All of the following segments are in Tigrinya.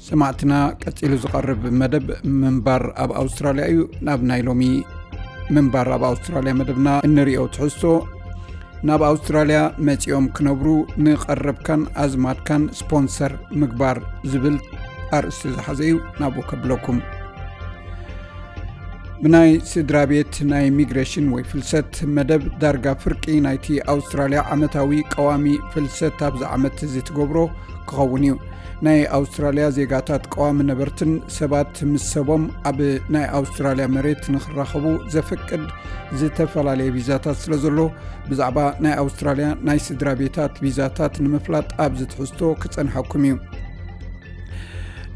ሰማዕትና፣ ቀጺሉ ዝቐርብ መደብ ምንባር ኣብ ኣውስትራልያ እዩ። ናብ ናይ ሎሚ ምንባር ኣብ ኣውስትራልያ መደብና እንሪኦ ትሕዝቶ፣ ናብ ኣውስትራልያ መጺኦም ክነብሩ ንቐረብካን ኣዝማድካን ስፖንሰር ምግባር ዝብል ኣርእስቲ ዝሓዘ እዩ። ናብኡ ከብለኩም። ብናይ ስድራ ቤት ናይ ሚግሬሽን ወይ ፍልሰት መደብ፣ ዳርጋ ፍርቂ ናይቲ ኣውስትራልያ ዓመታዊ ቀዋሚ ፍልሰት ኣብዚ ዓመት እዚ ትገብሮ ክኸውን እዩ። ናይ ኣውስትራልያ ዜጋታት ቀዋሚ ነበርትን ሰባት ምስ ሰቦም ኣብ ናይ ኣውስትራልያ መሬት ንኽራኸቡ ዘፍቅድ ዝተፈላለየ ቪዛታት ስለ ዘሎ፣ ብዛዕባ ናይ ኣውስትራልያ ናይ ስድራ ቤታት ቪዛታት ንምፍላጥ ኣብዚ ትሕዝቶ ክጸንሐኩም እዩ።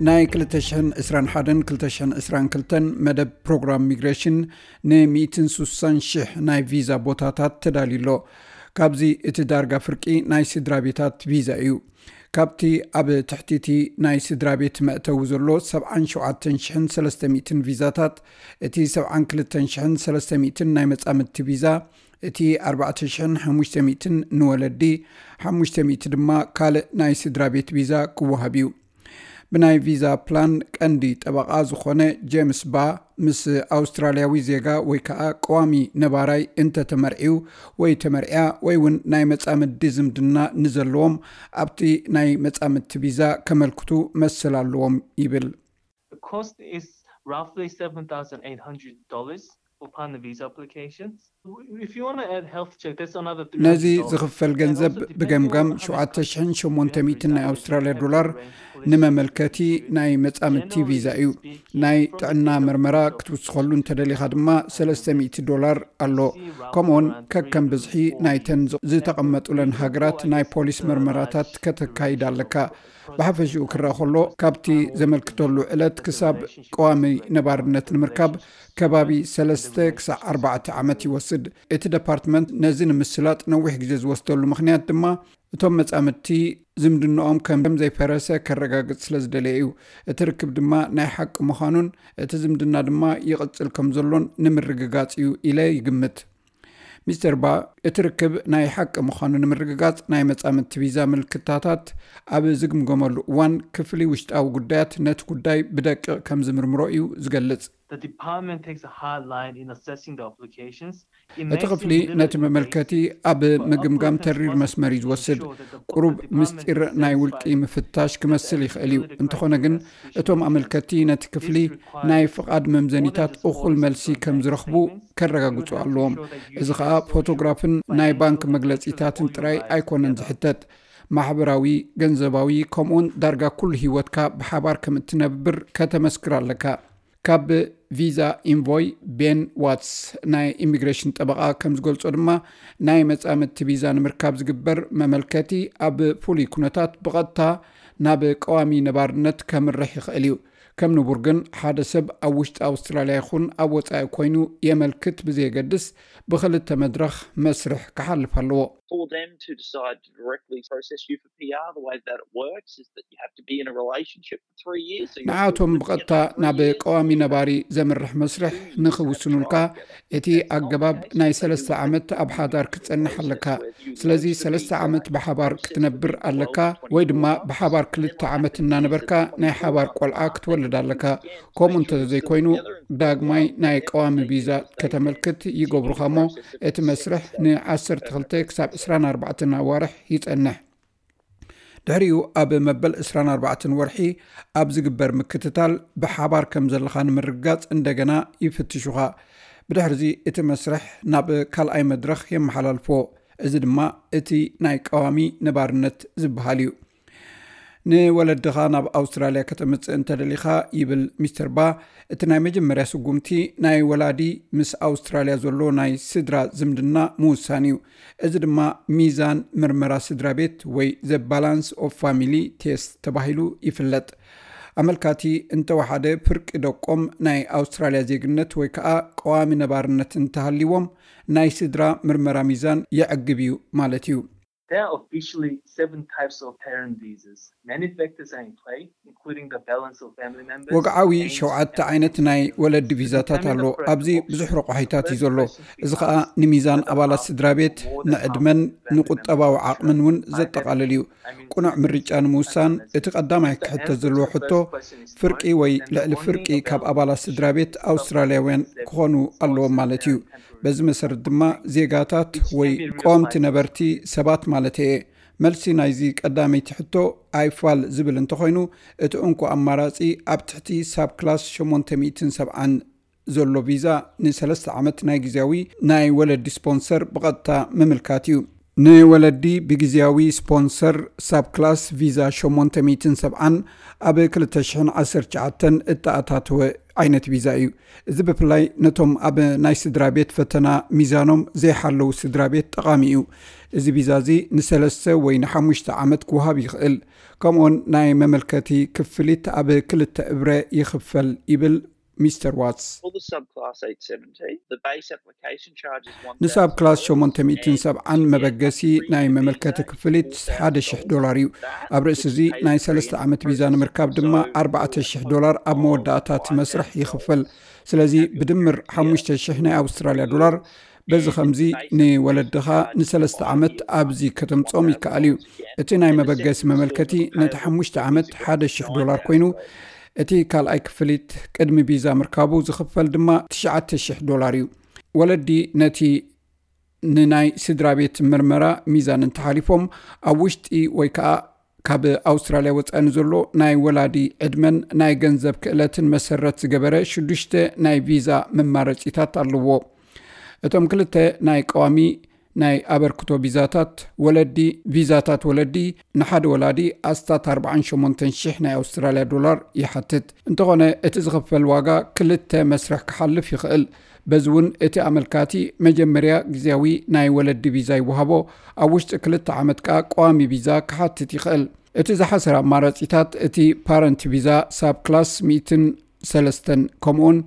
ናይ ክልተ ሽሕን ዕስራን ሓደን ክልተ ሽሕን ዕስራን ክልተን መደብ ፕሮግራም ሚግሬሽን ን ሚእትን ሱሳን ሽሕ ናይ ቪዛ ቦታታት ተዳልዩ ኣሎ። ካብዚ እቲ ዳርጋ ፍርቂ ናይ ስድራ ቤታት ቪዛ እዩ። ካብቲ ኣብ ትሕቲ እቲ ናይ ስድራ ቤት መእተዊ ዘሎ ሰብዓን ሸውዓተን ሽሕን ሰለስተ ሚእትን ቪዛታት፣ እቲ ሰብዓን ክልተን ሽሕን ሰለስተ ሚእትን ናይ መጻምድቲ ቪዛ፣ እቲ ኣርባዕተ ሽሕን ሓሙሽተ ሚእትን ንወለዲ፣ ሓሙሽተ ሚእቲ ድማ ካልእ ናይ ስድራ ቤት ቪዛ ክወሃብ እዩ። ብናይ ቪዛ ፕላን ቀንዲ ጠበቓ ዝኾነ ጄምስ ባ፣ ምስ ኣውስትራልያዊ ዜጋ ወይ ከዓ ቀዋሚ ነባራይ እንተተመርዕዩ ወይ ተመርዕያ ወይ እውን ናይ መጻምዲ ዝምድና ንዘለዎም፣ ኣብቲ ናይ መጻምድቲ ቪዛ ከመልክቱ መሰል ኣለዎም ይብል። The cost is roughly seven thousand eight hundred dollars upon the visa application. If you want to add health check, that's another ነዚ three hundred dollars. ዝኽፈል ገንዘብ ብገምጋም ሸውዓተ ሽሕን ሸሞንተ ሚእትን ናይ ኣውስትራልያ ዶላር ንመመልከቲ ናይ መጻምድቲ ቪዛ እዩ። ናይ ጥዕና መርመራ ክትውስኸሉ እንተደሊኻ ድማ ሰለስተ ሚእቲ ዶላር ኣሎ። ከምኡውን ከከም ብዝሒ ናይተን ዝተቐመጡለን ሃገራት ናይ ፖሊስ መርመራታት ከተካይድ ኣለካ። ብሓፈሽኡ ክረኣ ከሎ፣ ካብቲ ዘመልክተሉ ዕለት ክሳብ ቀዋሚ ነባርነት ንምርካብ ከባቢ ሰለስተ ክሳዕ ኣርባዕተ ዓመት ይወስድ። እቲ ደፓርትመንት ነዚ ንምስላጥ ነዊሕ ግዜ ዝወስደሉ ምኽንያት ድማ፣ እቶም መጻምድቲ ዝምድናኦም ከም ዘይፈረሰ ከረጋግጽ ስለ ዝደለየ እዩ። እቲ ርክብ ድማ ናይ ሓቂ ምዃኑን እቲ ዝምድና ድማ ይቕጽል ከም ዘሎን ንምርግጋጽ እዩ ኢለ ይግምት። ሚስተር ባ፣ እቲ ርክብ ናይ ሓቂ ምዃኑ ንምርግጋጽ፣ ናይ መጻምድቲ ቪዛ ምልክታታት ኣብ ዝግምገመሉ እዋን፣ ክፍሊ ውሽጣዊ ጉዳያት ነቲ ጉዳይ ብደቂቕ ከም ዝምርምሮ እዩ ዝገልጽ። The department takes a hard line in assessing the applications. እቲ ክፍሊ ነቲ መመልከቲ ኣብ ምግምጋም ተሪር መስመር እዩ ዝወስድ። ቁሩብ ምስጢር ናይ ውልቂ ምፍታሽ ክመስል ይኽእል እዩ። እንተኾነ ግን፣ እቶም ኣመልከቲ ነቲ ክፍሊ ናይ ፍቓድ መምዘኒታት እኹል መልሲ ከም ዝረኽቡ ከረጋግጹ ኣለዎም። እዚ ኸኣ ፎቶግራፍን ናይ ባንክ መግለጺታትን ጥራይ ኣይኮነን ዝሕተት። ማሕበራዊ፣ ገንዘባዊ፣ ከምኡውን ዳርጋ ኩሉ ህይወትካ ብሓባር ከም እትነብር ከተመስክር ኣለካ። ካብ ቪዛ ኢንቮይ ቤን ዋትስ፣ ናይ ኢሚግሬሽን ጠበቓ፣ ከም ዝገልጾ ድማ፣ ናይ መጻምድቲ ቪዛ ንምርካብ ዝግበር መመልከቲ ኣብ ፍሉይ ኩነታት ብቐጥታ ናብ ቀዋሚ ነባርነት ከምርሕ ይኽእል እዩ። ከም ንቡር ግን፣ ሓደ ሰብ ኣብ ውሽጢ ኣውስትራልያ ይኹን ኣብ ወጻኢ ኮይኑ የመልክት ብዘየገድስ፣ ብኽልተ መድረኽ መስርሕ ክሓልፍ ኣለዎ። For them to decide to directly process you for P R, the way that it works is that you have to be in a relationship for three years. So you have to ንዓቶም live ብቐጥታ together for ናብ three years. ቀዋሚ ነባሪ ዘምርሕ መስርሕ ንኽውስኑልካ፣ እቲ ኣገባብ ናይ ሰለስተ ዓመት ኣብ ሓዳር ክትጸንሕ ኣለካ። ስለዚ ሰለስተ ዓመት ብሓባር ክትነብር ኣለካ፣ ወይ ድማ ብሓባር ክልተ ዓመት እናነበርካ ናይ ሓባር ቆልዓ ክትወልድ ኣለካ። ከምኡ እንተዘይኮይኑ፣ ዳግማይ ናይ ቀዋሚ ቪዛ ከተመልክት ይገብሩኻ እሞ፣ እቲ መስርሕ ን ዓሰርተ ክልተ ክሳብ ዕስራን ኣርባዕተን ኣዋርሕ ይጸንሕ። ድሕሪኡ ኣብ መበል ዕስራን ኣርባዕተን ወርሒ ኣብ ዝግበር ምክትታል፣ ብሓባር ከም ዘለኻ ንምርግጋጽ እንደገና ይፍትሹኻ። ብድሕርዚ እቲ መስርሕ ናብ ካልኣይ መድረኽ የመሓላልፍዎ። እዚ ድማ እቲ ናይ ቀዋሚ ነባርነት ዝበሃል እዩ። ንወለድኻ ናብ ኣውስትራልያ ከተምጽእ እንተደሊኻ፣ ይብል ሚስተር ባ፣ እቲ ናይ መጀመርያ ስጉምቲ ናይ ወላዲ ምስ ኣውስትራልያ ዘሎ ናይ ስድራ ዝምድና ምውሳን እዩ። እዚ ድማ ሚዛን ምርመራ ስድራ ቤት ወይ The Balance of Family Test ተባሂሉ ይፍለጥ። ኣመልካቲ እንተወሓደ፣ ፍርቂ ደቆም ናይ ኣውስትራልያ ዜግነት ወይ ከዓ ቀዋሚ ነባርነት እንተሃልይዎም፣ ናይ ስድራ ምርመራ ሚዛን የዕግብ እዩ ማለት እዩ። There are officially seven types of parent visas. Many factors are in play, ወግዓዊ ሸውዓተ ዓይነት ናይ ወለዲ ቪዛታት ኣሎ። ኣብዚ ብዙሕ ረቋሒታት እዩ ዘሎ። እዚ ኸኣ ንሚዛን ኣባላት ስድራ ቤት፣ ንዕድመን ንቁጠባዊ ዓቕምን እውን ዘጠቓልል እዩ። ቁኑዕ ምርጫ ንምውሳን እቲ ቀዳማይ ክሕተት ዘለዎ ሕቶ፣ ፍርቂ ወይ ልዕሊ ፍርቂ ካብ ኣባላት ስድራ ቤት ኣውስትራልያውያን ክኾኑ ኣለዎም ማለት እዩ። በዚ መሰረት ድማ ዜጋታት ወይ ቀወምቲ ነበርቲ ሰባት ማለት እየ። መልሲ ናይዚ ቀዳመይቲ ሕቶ ኣይፋል ዝብል እንተኾይኑ፣ እቲ እንኮ ኣማራጺ ኣብ ትሕቲ ሳብ ክላስ ሸሞንተ ሚእትን ሰብዓን ዘሎ ቪዛ ንሰለስተ ዓመት ናይ ግዜያዊ ናይ ወለዲ ስፖንሰር ብቐጥታ ምምልካት እዩ። ንወለዲ ብግዜያዊ ስፖንሰር ሳብ ክላስ ቪዛ ሸሞንተ ሚእትን ሰብዓን ኣብ ክልተ ሽሕን ዓሰርተ ትሽዓተን እተኣታተወ ዓይነት ቪዛ እዩ። እዚ ብፍላይ ነቶም ኣብ ናይ ስድራ ቤት ፈተና ሚዛኖም ዘይሓለዉ ስድራ ቤት ጠቓሚ እዩ። እዚ ቪዛ እዚ ንሰለስተ ወይ ንሓሙሽተ ዓመት ክወሃብ ይኽእል። ከምኡውን ናይ መመልከቲ ክፍሊት ኣብ ክልተ እብረ ይኽፈል ይብል ሚስተር ዋትስ። For the subclass eight seventy, the base application charge is ንሳብ ክላስ ሸሞንተ ሚእትን ሰብዓን መበገሲ ናይ መመልከቲ ክፍሊት ሓደ ሽሕ ዶላር እዩ። ኣብ ርእሲ እዚ ናይ ሰለስተ ዓመት ቪዛ ንምርካብ ድማ ኣርባዕተ ሽሕ ዶላር ኣብ መወዳእታ እቲ መስርሕ ይኽፈል። ስለዚ ብድምር ሓሙሽተ ሽሕ ናይ ኣውስትራልያ ዶላር። በዚ ከምዚ ንወለድኻ ንሰለስተ ዓመት ኣብዚ ከተምጾም ይከኣል እዩ። እቲ ናይ መበገሲ መመልከቲ ነቲ ሓሙሽተ ዓመት ሓደ ሽሕ ዶላር ኮይኑ፣ እቲ ካልኣይ ክፍሊት ቅድሚ ቪዛ ምርካቡ ዝኽፈል ድማ ትሽዓተ ሽሕ ዶላር እዩ። ወለዲ ነቲ ንናይ ስድራ ቤት ምርመራ ሚዛን እንተሓሊፎም፣ ኣብ ውሽጢ ወይ ከዓ ካብ ኣውስትራልያ ወፃኢ ንዘሎ ናይ ወላዲ ዕድመን ናይ ገንዘብ ክእለትን መሰረት ዝገበረ ሽዱሽተ ናይ ቪዛ መማረፂታት ኣለዎ። እቶም ክልተ ናይ ቀዋሚ ናይ ኣበርክቶ ቪዛታት ወለዲ፣ ቪዛታት ወለዲ ንሓደ ወላዲ ኣስታት ኣርባዓን ሸሞንተን ሽሕ ናይ ኣውስትራልያ ዶላር ይሓትት። እንተኾነ እቲ ዝኽፈል ዋጋ ክልተ መስርሕ ክሓልፍ ይኽእል። በዚ እውን እቲ ኣመልካቲ መጀመርያ ግዜያዊ ናይ ወለዲ ቪዛ ይወሃቦ፣ ኣብ ውሽጢ ክልተ ዓመት ከኣ ቀዋሚ ቪዛ ክሓትት ይኽእል። እቲ ዝሓሰረ ኣማራጺታት እቲ ፓረንት ቪዛ ሳብ ክላስ ሚእትን ሰለስተን ከምኡውን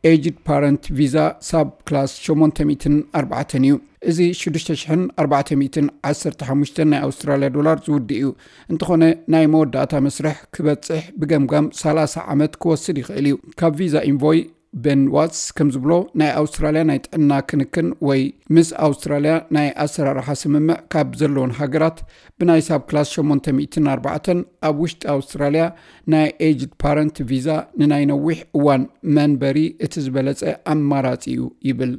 ኤጅድ ፓረንት ቪዛ ሳብ ክላስ ሸሞንተ ሚእትን ኣርባዕተን እዩ። እዚ ሽዱሽተ ሽሕን ኣርባዕተ ሚእትን ዓሰርተ ሓሙሽተን ናይ ኣውስትራልያ ዶላር ዝውድእ እዩ። እንተኾነ ናይ መወዳእታ መስርሕ ክበጽሕ ብገምጋም ሰላሳ ዓመት ክወስድ ይኽእል እዩ። ካብ ቪዛ ኢንቮይ ቤን ዋትስ ከም ዝብሎ ናይ ኣውስትራልያ ናይ ጥዕና ክንክን ወይ ምስ ኣውስትራልያ ናይ ኣሰራርሓ ስምምዕ ካብ ዘለውን ሃገራት ብናይ ሳብ ክላስ ሸሞንተ ሚእትን ኣርባዕተን ኣብ ውሽጢ ኣውስትራልያ ናይ ኤጅድ ፓረንት ቪዛ ንናይ ነዊሕ እዋን መንበሪ እቲ ዝበለጸ ኣማራጺ እዩ ይብል።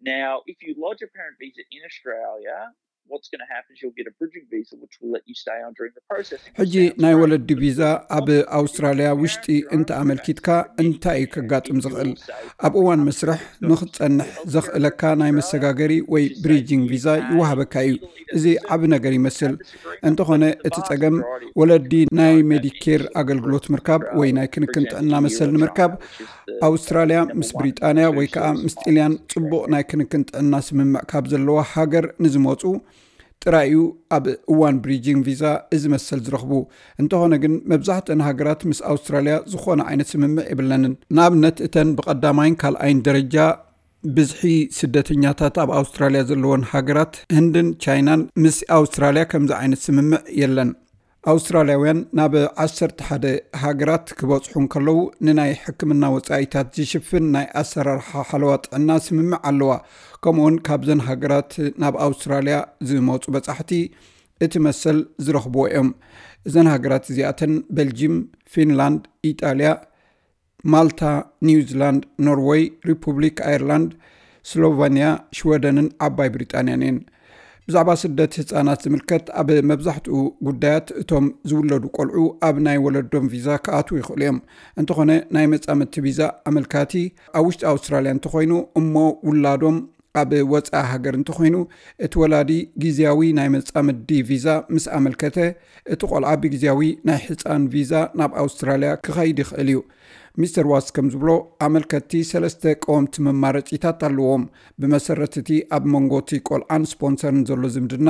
Now, if you lodge a parent visa in Australia, what's going to happen is you'll get a bridging visa, which will let you stay on during the processing. ሕጂ ናይ ወለዲ ቪዛ ኣብ ኣውስትራልያ ውሽጢ እንተ ኣመልኪትካ እንታይ እዩ ከጋጥም ዝኽእል? ኣብ እዋን መስርሕ ንኽትጸንሕ ዘኽእለካ ናይ መሰጋገሪ ወይ ብሪጂንግ ቪዛ ይወሃበካ እዩ። እዚ ዓቢ ነገር ይመስል። እንተኾነ እቲ ጸገም ወለዲ ናይ ሜዲኬር ኣገልግሎት ምርካብ ወይ ናይ ክንክን ጥዕና መሰል ንምርካብ ኣውስትራልያ ምስ ብሪጣንያ ወይ ከዓ ምስ ጢልያን ጽቡቕ ናይ ክንክን ጥዕና ስምምዕ ካብ ዘለዋ ሃገር ንዝመጹ ጥራይ እዩ ኣብ እዋን ብሪጂንግ ቪዛ እዚ መሰል ዝረኽቡ። እንተኾነ ግን መብዛሕትአን ሃገራት ምስ ኣውስትራልያ ዝኾነ ዓይነት ስምምዕ የብለንን። ንኣብነት እተን ብቐዳማይን ካልኣይን ደረጃ ብዝሒ ስደተኛታት ኣብ ኣውስትራልያ ዘለወን ሃገራት ህንድን ቻይናን ምስ ኣውስትራልያ ከምዚ ዓይነት ስምምዕ የለን። ኣውስትራልያውያን ናብ ዓሰርተ ሓደ ሃገራት ክበጽሑ እንከለዉ ንናይ ሕክምና ወጻኢታት ዝሽፍን ናይ ኣሰራርሓ ሓለዋ ጥዕና ስምምዕ ኣለዋ። ከምኡውን ካብዘን ሃገራት ናብ ኣውስትራልያ ዝመጹ በጻሕቲ እቲ መሰል ዝረኽብዎ እዮም። እዘን ሃገራት እዚኣተን በልጂም፣ ፊንላንድ፣ ኢጣልያ፣ ማልታ፣ ኒውዚላንድ፣ ኖርወይ፣ ሪፑብሊክ ኣየርላንድ፣ ስሎቨንያ፣ ሽወደንን ዓባይ ብሪጣንያን እየን። ብዛዕባ ስደት ህጻናት ዝምልከት ኣብ መብዛሕትኡ ጉዳያት እቶም ዝውለዱ ቆልዑ ኣብ ናይ ወለዶም ቪዛ ክኣትዉ ይኽእሉ እዮም። እንተኾነ ናይ መጻምድቲ ቪዛ ኣመልካቲ ኣብ ውሽጢ ኣውስትራልያ እንተኾይኑ እሞ ውላዶም ኣብ ወጻኢ ሃገር እንተኾይኑ እቲ ወላዲ ግዝያዊ ናይ መጻምዲ ቪዛ ምስ ኣመልከተ እቲ ቆልዓ ብግዝያዊ ናይ ህጻን ቪዛ ናብ ኣውስትራልያ ክኸይድ ይኽእል እዩ። ሚስተር ዋስ ከም ዝብሎ ኣመልከትቲ ሰለስተ ቀወምቲ መማረጺታት ኣለዎም። ብመሰረት እቲ ኣብ መንጎ እቲ ቆልዓን ስፖንሰርን ዘሎ ዝምድና፣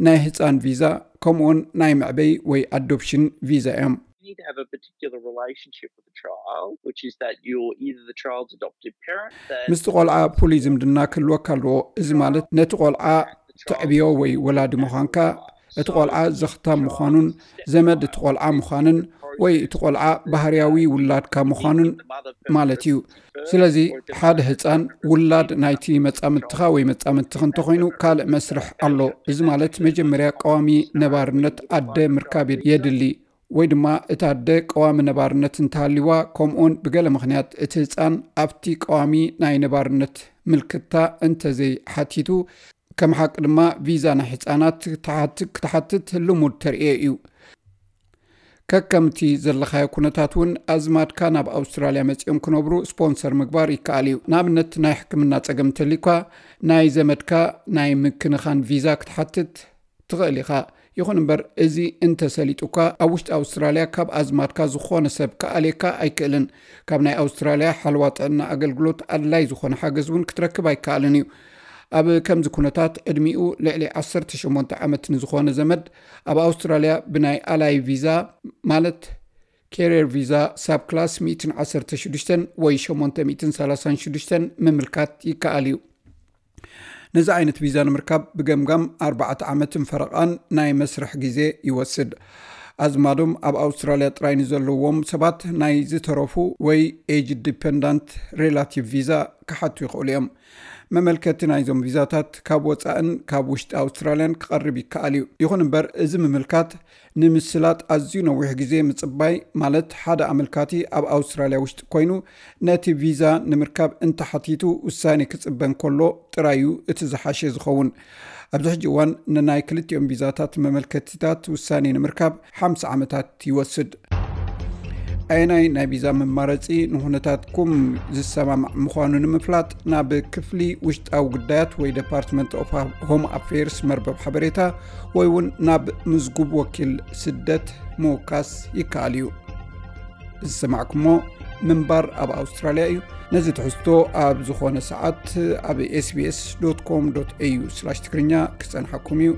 ናይ ህጻን ቪዛ ከምኡውን ናይ መዕበይ ወይ ኣዶፕሽን ቪዛ እዮም። You need to have a particular relationship with the child, which is that you're either the child's adoptive parent, that ምስቲ ቆልዓ ፍሉይ ዝምድና ክህልወካ ኣለዎ። እዚ ማለት ነቲ ቆልዓ ተዕብዮ ወይ ወላዲ ምዃንካ፣ እቲ ቆልዓ ዘኽታም ምዃኑን ዘመድ እቲ ቆልዓ ምዃንን ወይ እቲ ቆልዓ ባህርያዊ ውላድካ ምዃኑን ማለት እዩ። ስለዚ ሓደ ህፃን ውላድ ናይቲ መጻምድትኻ ወይ መጻምድትኽ እንተኾይኑ ካልእ መስርሕ ኣሎ። እዚ ማለት መጀመርያ ቀዋሚ ነባርነት ኣደ ምርካብ የድሊ፣ ወይ ድማ እታ ኣደ ቀዋሚ ነባርነት እንተሃልይዋ፣ ከምኡውን ብገለ ምኽንያት እቲ ህፃን ኣብቲ ቀዋሚ ናይ ነባርነት ምልክታ እንተዘይሓቲቱ፣ ከም ሓቂ ድማ ቪዛ ናይ ህፃናት ክትሓትት ልሙድ ተርእዮ እዩ። ከከምቲ ዘለኻዮ ኩነታት እውን ኣዝማድካ ናብ ኣውስትራልያ መጺኦም ክነብሩ ስፖንሰር ምግባር ይከኣል እዩ። ንኣብነት ናይ ሕክምና ጸገም እንተልዩካ ናይ ዘመድካ ናይ ምክንኻን ቪዛ ክትሓትት ትኽእል ኢኻ። ይኹን እምበር እዚ እንተሰሊጡካ ኣብ ውሽጢ ኣውስትራልያ ካብ ኣዝማድካ ዝኾነ ሰብ ክኣልየካ ኣይክእልን። ካብ ናይ ኣውስትራልያ ሓለዋ ጥዕና ኣገልግሎት ኣድላይ ዝኾነ ሓገዝ እውን ክትረክብ ኣይከኣልን እዩ። ኣብ ከምዚ ኩነታት ዕድሚኡ ልዕሊ ዓሰርተ ሸሞንተ ዓመት ንዝኾነ ዘመድ ኣብ ኣውስትራልያ ብናይ ኣላይ ቪዛ ማለት ኬሪየር ቪዛ ሳብ ክላስ ሚእትን ዓሰርተ ሽዱሽተን ወይ ሸሞንተ ሚእትን ሰላሳን ሽዱሽተን ምምልካት ይከኣል እዩ። ነዚ ዓይነት ቪዛ ንምርካብ ብገምጋም ኣርባዕተ ዓመትን ፈረቓን ናይ መስርሕ ግዜ ይወስድ። ኣዝማዶም ኣብ ኣውስትራልያ ጥራይ ንዘለዎም ሰባት ናይ ዝተረፉ ወይ ኤጅ ዲፐንዳንት ሬላቲቭ ቪዛ ክሓቱ ይኽእሉ እዮም። መመልከቲ ናይዞም ቪዛታት ካብ ወጻእን ካብ ውሽጢ ኣውስትራልያን ክቐርብ ይከኣል እዩ። ይኹን እምበር እዚ ምምልካት ንምስላጥ ኣዝዩ ነዊሕ ግዜ ምጽባይ፣ ማለት ሓደ ኣመልካቲ ኣብ ኣውስትራልያ ውሽጢ ኮይኑ ነቲ ቪዛ ንምርካብ እንተሓቲቱ ውሳኔ ክጽበ እንከሎ ጥራይ እዩ እቲ ዝሓሸ ዝኸውን። ኣብዚ ሕጂ እዋን ንናይ ክልቲኦም ቪዛታት መመልከቲታት ውሳኔ ንምርካብ ሓምሳ ዓመታት ይወስድ። ኣየናይ ናይ ቪዛ መማረጺ ንኹነታትኩም ዝሰማማዕ ምዃኑ ንምፍላጥ ናብ ክፍሊ ውሽጣዊ ጉዳያት ወይ ዴፓርትመንት ኦፍ ሆም ኣፌርስ መርበብ ሓበሬታ ወይ እውን ናብ ምዝጉብ ወኪል ስደት ምውካስ ይከኣል እዩ። ዝሰማዕኩሞ ምንባር ኣብ ኣውስትራልያ እዩ። ነዚ ትሕዝቶ ኣብ ዝኾነ ሰዓት ኣብ ኤስቢኤስ ዶት ኮም ዶት ኤዩ ስላሽ ትግርኛ ክጸንሓኩም እዩ።